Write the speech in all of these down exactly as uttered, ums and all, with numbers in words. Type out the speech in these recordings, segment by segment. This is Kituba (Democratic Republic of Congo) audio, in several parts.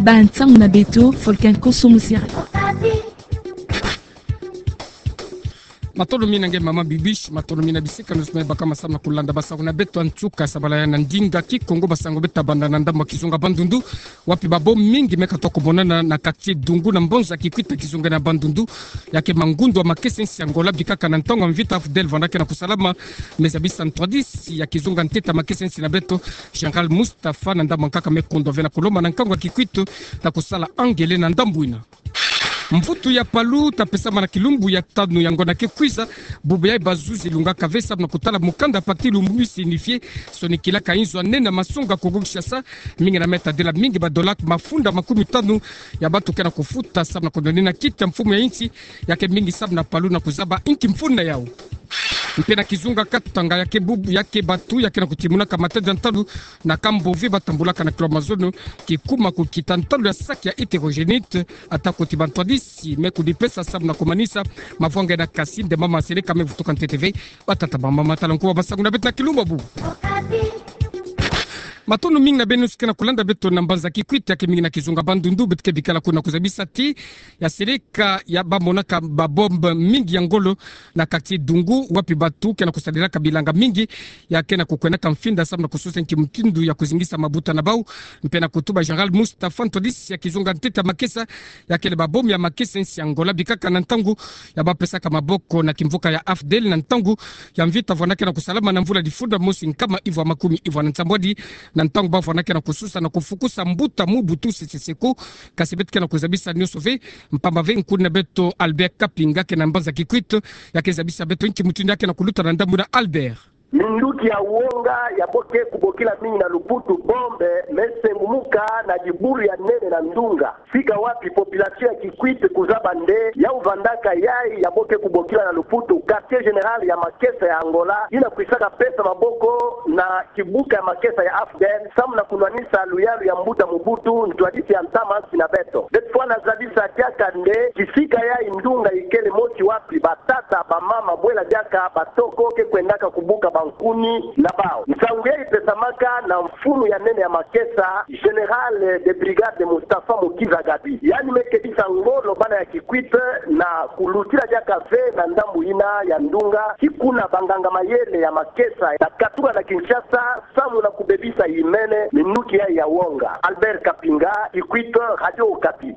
Ba ntangu na beto, Volcan Koso Muziri. Matondo mingi na nge mama Bibiche, matondo mingi na bisika nyonso me baka ma samu na kulanda basango na beto. En tout cas, sabala ya na ndinga Kikongo, basango beta banda na ndambu ya kizunga Bandundu, wapi ba bombes mingi me katuka komonana na quartier Dungu na mbanza Kikwit, kizunga na Bandundu. Ya ke mangundu ya makesa-nsi ya Angola bikaka na ntangu ya mvita AFDL vwandaka na kusalama. Me zabisa ntwadisi ya kizunga ntete ya makesa-nsi na beto, Général Mustapha, na ndambu ya nkaka me kundwa ve na kulomba na nkangu ya Kikwit ta kusala angele na ndambu ina. Mvutu ya palu ta pesama na kilumbu ya tanu ya ngonda ke kwiza. Bubu yayi bazuzi lungaka ve samu na kutala mukanda pacte Lumumba signifié, sonikilaka inzo ya nene ya masonga Kongo Kinshasa. Mingi na meta dela mingi ba dola mafunda makumi tanu ya bantu ke na kufuta samu na kunwanina kiti ya mfumu ya nsi. Ya ke mingi samu na palu na kuzaba inki mfunu yau. Mpe na kizunga Katanga, ya ke bubu, ya ke bantu ya ke na kutimunaka matadi ya ntalu na kambo ve batambulaka na kilo mazono, kikuma kukita ntalu ya sac ya hétérogénite, ata kuti ba ntwadisi me kudipesa samu na kumanisa mavwanga ina. Kasi nde mama seleka me vutuka ntete ve. Batata, bamama, tala nkuwa basango na beto na kilumbu bubu. Matondo mingi na beno nyonso ke na kulanda beto na mbanza Kikwit, ya ke mingi na kizunga Bandundu, beto ke bikala kuna. Kuzabisa ti ya seleka ya bamonaka ba bombes mingi ya ngolo na quartier Dungu, wapi bantu ke na kusalelaka bilanga mingi ya ke na kukwendaka mfinda samu na kusosa nki mutindu ya kuzingisa mabuta na bau. Mpe na kutuba Général Mustapha, ntwadisi ya kizunga ntete ya makesa, ya kele ba bombes ya makesa-nsi ya Angola bikaka na ntangu ya bapesaka maboko na kimvuka ya AFDL na ntangu ya mvita vwandaka na kusalama na mvula difunda mosi nkama ivwa makumi ivwa na nsambwadi, na ntangu bavwandaka na kusosa na kufukusa mbuta Mobutu Sese Seko. Kasi beto ke na kuzabisa nyonso ve mpamba ve nkuna beto Albert Kapinga ke na mbanza Kikwit, ya ke zabisa beto nki mutindu ya ke na kuluta na ndambu ina. Albert. Minduki ya wonga ya bo ke kubokila mingi na Lumputu bombes me sengumuka na dibulu ya nene na ndunga, sika wapi population ya Kikwit kuzaba nde yau vwandaka yayi ya bo ke kubokila na Lumputu quartier général ya makesa ya Angola, ina kwisaka pesa maboko na kibuka ya makesa ya AFDL samu na kunwanisa luyalu ya mbuta Mobutu, ntwadisi ya ntama-nsi na beto. Beto fwana zabisa diaka nde kisika yayi ndunga ikele mosi wapi batata, bamama, bwela diaka batoko ke kwendaka kubuka bankuni na bau. Nsangu yayi ipesamaka na mfunu ya nene ya makesa, Général de brigade Mustapha Mukiza Gabi. Yandi me kebisa ngolo bana ya Kikwit na kulutila diaka ve na ndambu ina ya ndunga, ti kuna banganga-mayele ya makesa ya katuka na Kinshasa samu na kubebisa yimene minduki yayi ya wonga. Albert Kapinga, Kikwit, Radio Okapi.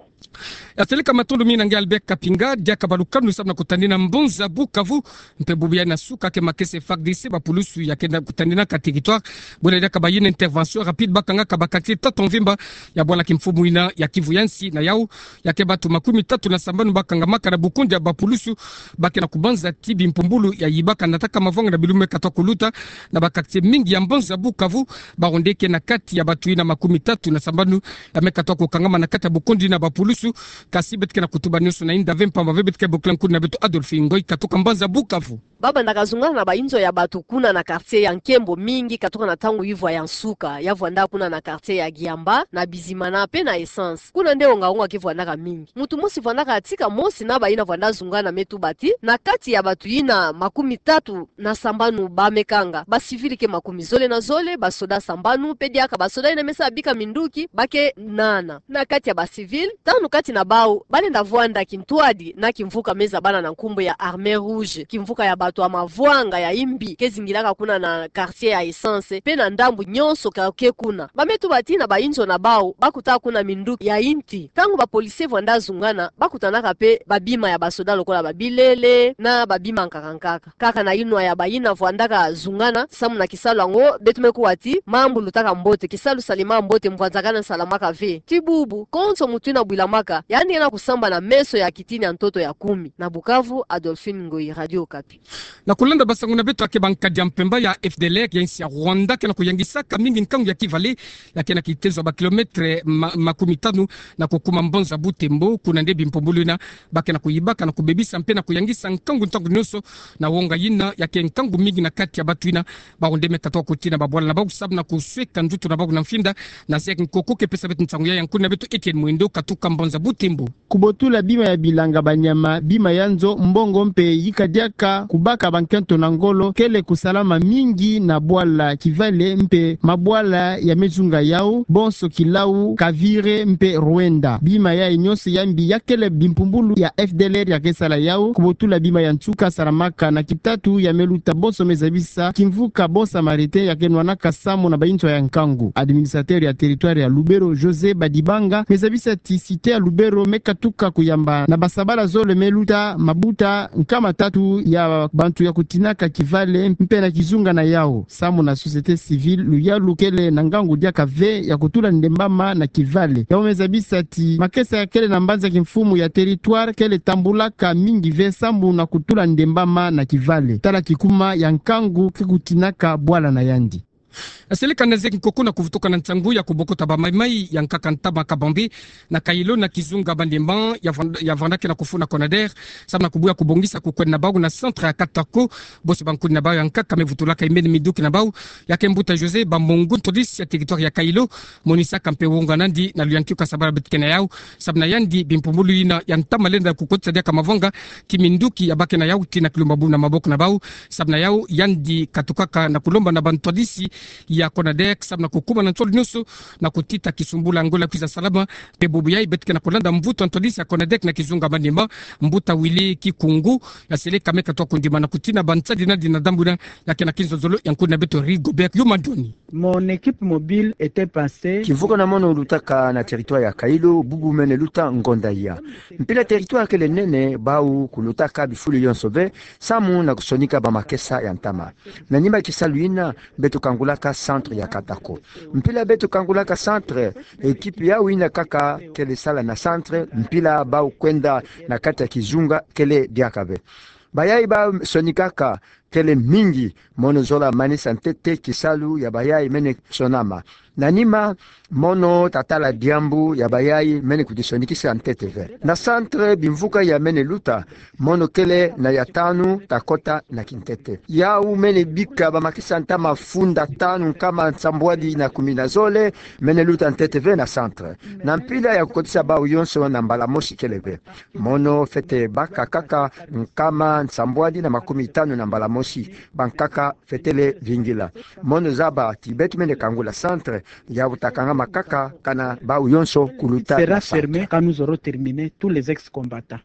Ya seleka, matondo mingi na nge Albert Kapinga. Diaka balukanu samu na kutanina mbanza Bukavu. Mpe bubu yayi na suka ke makesa FARDC, bapulusu ya ke na kutaninaka territoire, bwela diaka bayina intervention rapide, bakangaka ba quartier tatu ya mvimba ya bwala kimfumu ina ya Kivu ya nsi. Na yau, ya ke bantu makumi tatu na sambanu bakangamaka na bukundi ya bapulusu, ba ke na kubanza ti bimpumbulu ya yibaka, nataka mavwanga na bilumbu me katuka kuluta na ba quartier mingi ya mbanza Bukavu. Bawu nde ke na kati ya bantu ina makumi tatu na sambanu ya me katuka kukangama na kati ya bukundi na bapulusu. Kasi beto ke na kutuba nyonso na inda ve mpamba ve, beto ke bokila nkuna beto Adolphine Ngoyi katuka mbanza Bukavu. Babandaka zungana na bainzo ya bantu kuna na quartier ya nkembo mingi katuka na ntangu ivwa ya nsuka, ya vwanda kuna na quartier ya Giamba, na Bizimana mpe na Essence. Kuna nde wonga-wonga ke vwandaka mingi. Muntu mosi vwandaka tika mosi na bayina vwanda zungana me tuba ti, na kati ya bantu ina makumi tatu na sambanu ba me kanga, ba civil ke makumi zole na zole, basoda sambanu, mpe diaka basoda ina me sa bika minduki ba ke nana. Na kati ya ba civil, tanu kati na bau ba lenda vwanda kintwadi na kimvuka me zabana na nkumbu ya Armée Rouge, kimvuka ya bantu ya mavwanga ya imbi ke zingilaka kuna na quartier ya Essence mpe na ndambu nyonso ka ke kuna. Ba me tuba ti na bainzo na bau ba kuta kuna minduki ya inti. Ntangu ba policier vwanda zungana, ba kutanaka mpe babima ya basoda lokola babilele na babima nkaka nkaka. Kaka na inwa ya bayina vwandaka zungana samu na kisalu yango, beto me kuwa ti mambu lutaka mbote, kisalu salama mbote, mbwanzakana salamaka ve. Ti bubu, konso muntu ina bwilamaka, yandi ke na kusambana meso ya kitini ya ntoto ya kumi. Na Bukavu, Adolphine Ngoyi, Radio Okapi. Na kulanda basango na beto, ya ke bankadi ya mpemba ya F D L R ya insi ya Rwanda ke na kuyangisaka mingi nkangu ya Kivalais, ya ke na kitezo ya ba kilomètre ma-, makumi tanu na kukuma mbanza Butembo. Kuna nde bimpumbulu ina ba ke na kuyibaka, na kubebisa mpe na kuyangisa nkangu ntangu nyonso. Na wonga yina, ya ke nkangu mingi na kati ya bantu ina, bawu nde me katuka kutina babwala na bau samu na kusweka ndutu na bau na mfinda. Na zeki nkoko ke pesa beto nsangu yayi, nkuna beto Etienne Mwendo katuka Mbanza Butembo. Kubotula bima ya bilanga banyama, bima ya nzo, mbongo mpe yika diaka kubaka bankento na ngolo kele kusalama mingi na bwala Kivale mpe mabwala ya mezunga yau, bonso Kilau, Kavire mpe Ruenda. Bima yayi nyonso ya mbi ya kele bimpumbulu ya F D L R ya ke sala yau, kubotula bima ya nsuka salamaka na kitatu ya me luta bonso me zabisa kimvuka Bon Samaritain ya ke nwanaka samu na bainzo ya nkangu. Administrateur ya territoire ya Lubero, José Badibanga, me zabisa ti cité ya Lubero me katuka kuyamba na basabala zole me luta mabuta nkama tatu ya bantu ya kutinaka Kivale mpe na kizunga na yau. Samu na société civile, luyalu kele na ngangu diaka ve ya kutula ndembama na Kivale. Yau me zabisa ti makesa ya kele na mbanza kimfumu ya territoire kele tambulaka mingi ve samu na kutula ndembama na Kivale. Tala kikuma ya nkangu ke kutinaka bwala na yandi. Aseleka na zeki nkoko na kuvutuka na nsangu ya kubokota bamaimai ya nkaka ntama Kabambe na Kailo na kizunga Bandemba ya vand-, ya vandaki na kufuna Conader, samu na kubuya kubongisa kukwenda na bau na centre ya Katako. Bonso bankuni na bau ya nkaka me vutulaka imeni minduki na bau, ya ke mbuta José Bamongo, ntwadisi ya territoire ya Kailo, monisaka mpe wonga nandi na luyantika sabala beto ke na yau, samu na yandi bimpumbulu yina ya ntama lenda kukotisa diaka mavanga ki minduki ya bake na yau tii na kilumba bubu na maboko na bau. Samu na yau yandi katukaka na kulomba na bantwadisi ya Conader samu na kukuma na nsolo nyonso na kutita kisumbula ngo la kwiza salama. Mpe bubu yayi beto ke na kulanda mvutu ya ntwadisi ya Conader na kizunga Bandemba, mbuta Willy Kikungu, aseleka me katuka kundima na kutina bansadi nandi na ndambu yina, ya ke na kinzonzolo ya nkuni na beto Rigobert Yumandoni. Mon équipe mobile était passée. Kimvuka na mono lutaka na territoire ya Kailo, bubu mene luta ngonda ya. Mpila territoire kele nene, bau kulutaka bifulu yonso ve, samu na kusonika bamakesa ya ntama. Na nima kisalu yina, beto kangulaka centre ya Katako. Mpila beto kangulaka centre, équipe yau yina kaka kele sala na centre, mpila bau kwenda na kati ya kizunga kele diaka ve. Bayayi basonikaka kele mingi, mono zola manisa ntete kisalu ya bayayi mene sonama. Na nima, mono tatala diambu ya bayayi mene kudisonikisa ntete ve. Na centre bimvuka ya mene luta, mono kele na ya tanu takota na kintete. Yau mene bika bamakesa ntama funda tanu nkama nsambwadi na kumi na zole, mene luta ntete ve na centre. Na mpila ya kukotisa bau yonso na mbala mosi kele ve. Mono fwete baka kaka nkama nsambwadi na makumi tanu na mbala mosi, bankaka fwetele vingila. Mono zaba ti beto mene kangula centre, yau takangama kaka kana bau yonso kuluta sera na centre. Fermé quand nous aurons terminé tous les ex-combattants.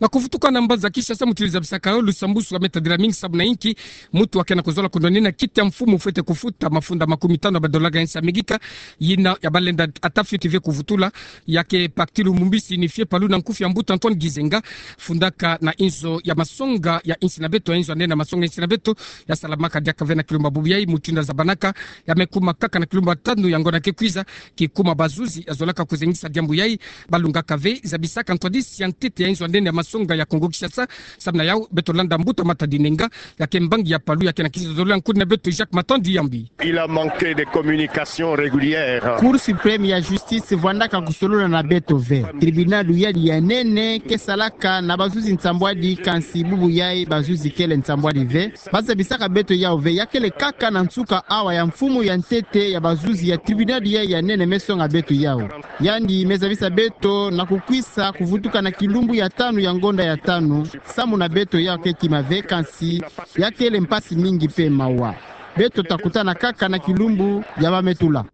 Na kuvutuka na mbanza Kinshasa, mutu zabisaka yo lusambusu ya me tadila mingi samu na inki mutu wa ke na kuzola kundonina kiti ya mfumu fwete kufuta mafunda makumi tanu ya badola ya nsi ya Amerika, yina ya balenda ata fioti ve kuvutula, ya ke Parti Lumumba signifié palu na nkufi ya mbuta Antoine Gizenga, fundaka na inzo ya masonga ya insi na beto, inzo ya nene ya masonga ya insi na beto, ya salamaka diaka ve na kilumba bubu yayi, mutindu ya zabanaka, ya me kuma kaka na kilumba tanu ya ngonda ke kwiza, kikuma bazuzi ya zolaka kuzengisa diambu yayi, balungaka ve, zabisaka ntwadisi ya ntete ya inzo ya nene ya masonga ya Kongo Kinshasa, samu na yau, beto landa mbuta Matadi Nenga, ya ke mbangi ya palu ya ke na kinzonzolo ya nkuni na beto Jacques Matandi Yambi. Il a manqué de communication régulière. Cour suprême ya justice vwandaka kusolola na beto ve. Tribunal yadi ya nene ke salaka na bazuzi nsambwadi, kansi bubu yayi bazuzi kele nsambwadi ve. Ba zabisaka beto yau ve, ya kele kaka na nsuka awa ya mfumu ya ntete ya bazuzi ya tribunal yayi ya nene me songa beto yau. Yandi me zabisa beto na kukwisa kuvutuka na kilumbu ya tanu ya ngonda ya tanu, samu na beto yau ke kima ve, kansi ya kele mpasi mingi mpe mawa. Beto takutana kaka na kilumbu ya ba me tula.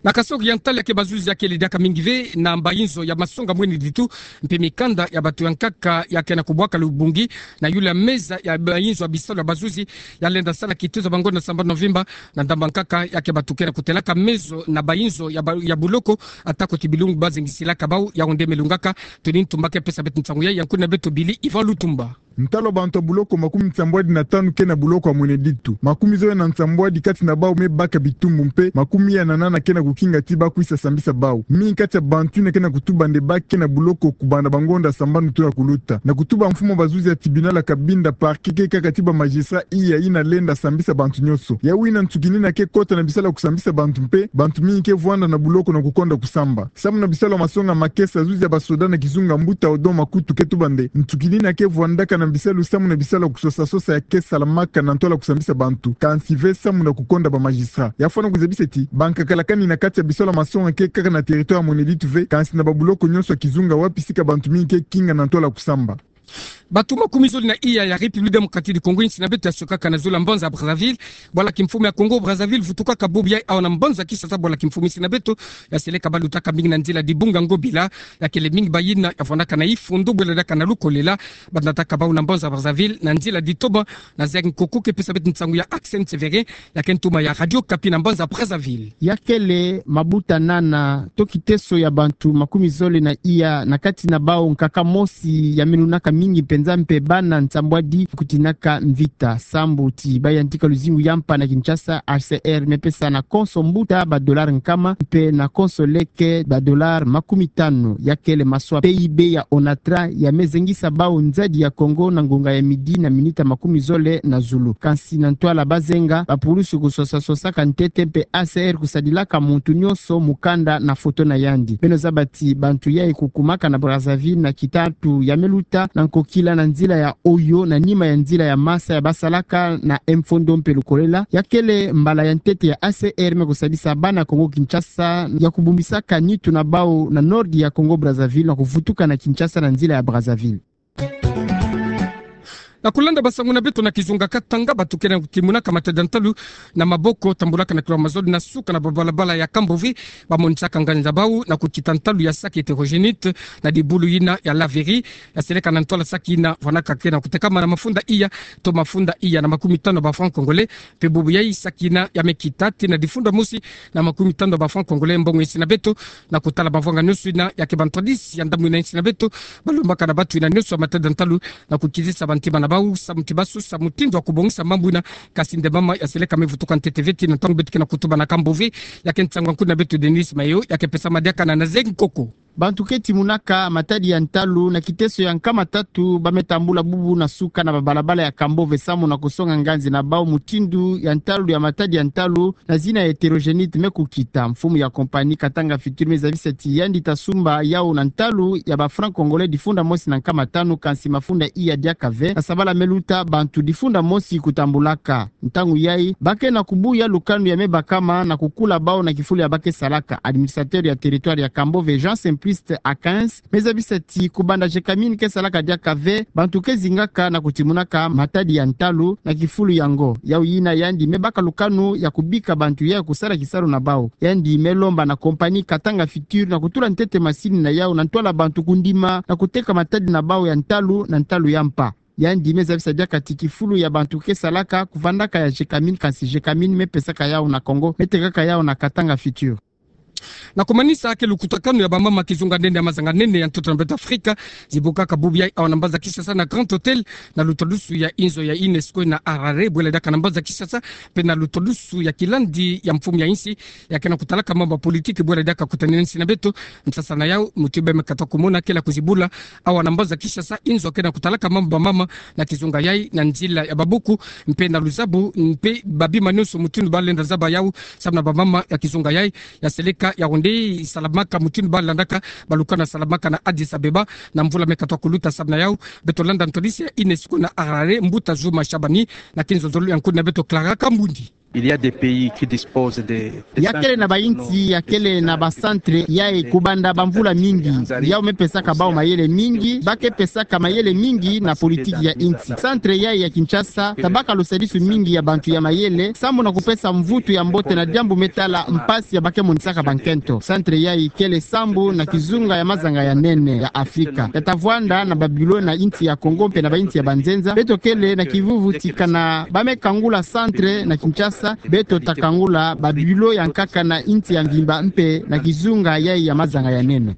Na Kasaï oriental, ya ke bazuzi ya kele diaka mingi ve na mbainzo ya masonga mwini ditu, mpe mikanda ya bato ya nkaka ya ke na kubwaka lubungi na yula meza ya mbainzo ya bisalu ya bazuzi ya lenda sala kituza bangonda sambanu na mvimba, na ndambu ya nkaka ya ke bato ke na kutelaka mezo na bainzo ya ba-, ya buloko, atako ti bilumbu ba zengisilaka bau, yau nde me lungaka. Tony Ntumba ke pesa beto nsangu yayi, ya nkuni na beto Billy Ivan Lutumba. Ntalu ya bantu ya buloko makumi nsambwadi na tanu ke na buloko ya mwini ditu. Makumi zole na nsambwadi kati na bau me baka bitumbu mpe makumi iya na nana ke na kukinga ti ba kwisa sambisa bau. Mingi kati ya bantu yina ke na kutuba nde ba ke na buloko kubanda bangonda sambanu tuna kuluta. Na kutuba mfumu ya bazuzi ya tribunal ya Cabinda, parquet ke kaka ti ba magistrat iya yina lenda sambisa bantu nyonso. Yau yina nsuki nina ke kota na bisalu ya kusambisa bantu mpe bantu mingi ke vwanda na buloko na kukonda kusamba. Samu na bisalu ya masonga makesa, zuzi ya basoda na kizunga, mbuta Odon Makutu ke tuba nde nsuki nina ke vwandaka na Bisalu samu na bisalu ya kusosa-sosa ya ke salamaka na ntwala kusambisa bantu, kansi ve samu na kukonda ba magistrat. Ya fwana kuzabisa ti, ba nkakala kani na kati ya bisalu ya masonga ke kaka na territoire ya Monelite ve, kansi na ba buloko nyonso ya kizunga wapi sika bantu mingi ke kinga na ntwala kusamba. Bantu makumi zole na iya ya République Démocratique du Congo, insi na beto ya sukaka na zulu ya mbanza Brazzaville, bwala kimfumu ya Congo Brazzaville vutukaka bubu yayi awa na mbanza Kinshasa bwala kimfumu, insi na beto ya seleka balutaka mingi na nzila Dibunga Ngobila, ya kele mingi bayina ya fwanaka na ifondo bwela diaka na lukolela, banataka bawu na mbanza Brazzaville na nzila Ditoma. Nazer Nkoko ke pesa beto nsangu ya Axel Severin, ya ke ntuma ya Radio Okapi na mbanza Brazzaville. Ya kele mabuta nana to kiteso ya bantu makumi zole na iya, na kati na bawu nkaka mosi ya milunaka mingi mpenza mpe bana nsambwadi kutinaka mvita. Sambu ti bayantika luzingu ya mpa na Kinshasa, H C R me pesa na konso mbuta ba dollar nkama, mpe na konso leke ba dollar makumi tanu. Ya kele maswa P I B ya ONATRA ya me zengisa bawu nzadi ya Congo na ngonga ya midi na minita makumi zole na zulu. Kansi na ntwala bazenga, ba pulusu kusosa-sosaka ntete mpe H C R kusadilaka muntu nyonso mukanda na foto na yandi. Beno zaba ti bantu yayi kukumaka na Brazzaville na kitatu ya me luta na nkokila na nzila ya Oyo, na nima ya nzila ya masa ya basalaka na mfondo mpe lukolela. Ya kele mbala ya ntete ya H C R me kusadisa bana Congo Kinshasa ya kubumbisaka nitu na bawu na nord ya Congo Brazzaville na kuvutuka na Kinshasa na nzila ya Brazzaville. Na kulanda basangu na beto na kizunga Katanga, bantu ke na kutimunaka matadi ya ntalu na maboko, tambulaka na kilomètre zole na suka na babalabala ya Kambove, bamonisaka nganzi na bawu na kukita ntalu ya sac hétérogénite na dibulu yina ya laverie, ya seleka na ntwala sac yina fwanaka ke na kutekama na mafunda iya to mafunda iya na makumi tanu ba francs congolais. Mpe bubu yayi sac yina ya me kita tii na difunda mosi na makumi tanu ba francs congolais. Mbongo insi na beto na kutala mavanga nyonso yina, ya ke bantwadisi ya ndambu yina insi na beto balombaka na bantu yina nyonso ya matadi ya ntalu na kukitisa bantima na bawu samu ti basosa mutindu ya kubongisa mambu yina. Kansi nde mama ya seleka me vutuka ntete ve tii na ntangu beto ke na kutuba na Kambove. Ya ke nsangu ya nkuni na beto Denise Mayo, ya ke pesama diaka na Nazer Nkoko. Bantu ke timunaka matadi ya ntalu na kiteso ya nkama tatu ba me tambula bubu na suka na babalabala ya Kambove samu na kusonga nganzi na bawu mutindu ya ntalu ya matadi ya ntalu na zina ya hétérogénite me kukita. Mfumu ya compagnie Katanga Futur me zabisa ti yandi ta sumba yawu na ntalu ya ba francs congolais difunda mosi na nkama tanu, kansi mafunda iya diaka ve na sabala me luta bantu difunda mosi kutambulaka. Ntangu yayi ba ke na kubuya lukanu ya me bakama na kukula bawu na kifulu ya ba ke salaka. Administrateur ya territoire ya Kambove, Jean Simpliste Akins, me zabisa ti kubanda Gécamines ke salaka diaka ve, bantu ke zingaka na kutimunaka matadi ya ntalu na kifulu yango. Yawu yina yandi me baka lukanu ya kubika bantu yayi kusala kisalu na bawu. Yandi me lomba na compagnie Katanga Futur na kutula ntete masini na yawu na ntwala bantu kundima na kuteka matadi na bawu ya ntalu na ntalu ya mpa. Yandi me zabisa diaka ti kifulu ya bantu ke salaka kuvandaka ya Gécamines, kansi Gécamines me pesaka yawu na Congo, me tekaka yawu na Katanga Futur. Na kumanisa ke lukutakanu ya bamama kizunga nene ya mazanga nene ya ntoto na beto Afrika, zibukaka bubu yayi awa na mbanza Kinshasa na Grand Hôtel, na lutwadusu ya inzo ya UNESCO na Harare, bwela diaka na mbanza Kinshasa, mpe na lutwadusu ya kilandi ya mfumu ya insi, ya ke na kutalaka mambu ya politiki, bwela diaka kutanina insi na beto. Nsasa na yawu, muti beno me katuka kumona, ke na kuzibula awa na mbanza Kinshasa inzo ke na kutalaka mambu ya bamama na kizunga yayi, na nzila ya babuku mpe na luzabu, mpe babima nyonso mutindu ba lenda zaba yawu samu na bamama ya kizunga yayi, ya seleka ya onde salamaka mutindu ba landaka balukanu ya salamaka na Addis Abeba na mvula me katuka kuluta. Samu na yawu, beto landa ntwadisi ya UNESCO na Harare, mbuta Juma Shabani, na kinzonzolo ya nkuni na beto Clara Kambundi. Il y a des pays qui disposent de, de... Ya kele na bainsi ya kele na ba centre yayi kubanda bamvula mingi. Yawu me pesaka bawu mayele mingi, ba ke pesaka mayele mingi na politiki ya insi. Centre yayi ya Kinshasa ta baka lusadisu mingi ya bantu ya mayele samu na kupesa mvutu ya mbote na diambu me tala mpasi ya ba ke monisaka bankento. Centre yayi kele sambu na kizunga ya mazanga ya nene ya Afrika. Ya ta vwanda na ba bureau na insi ya Congo mpe na bainsi ya banzenza. Beto kele na kivuvu ti kana ba me kangula centre na Kinshasa, beto ta kangula ba bureau ya nkaka na insi ya mvimba mpe na kizunga yayi ya mazanga ya nene.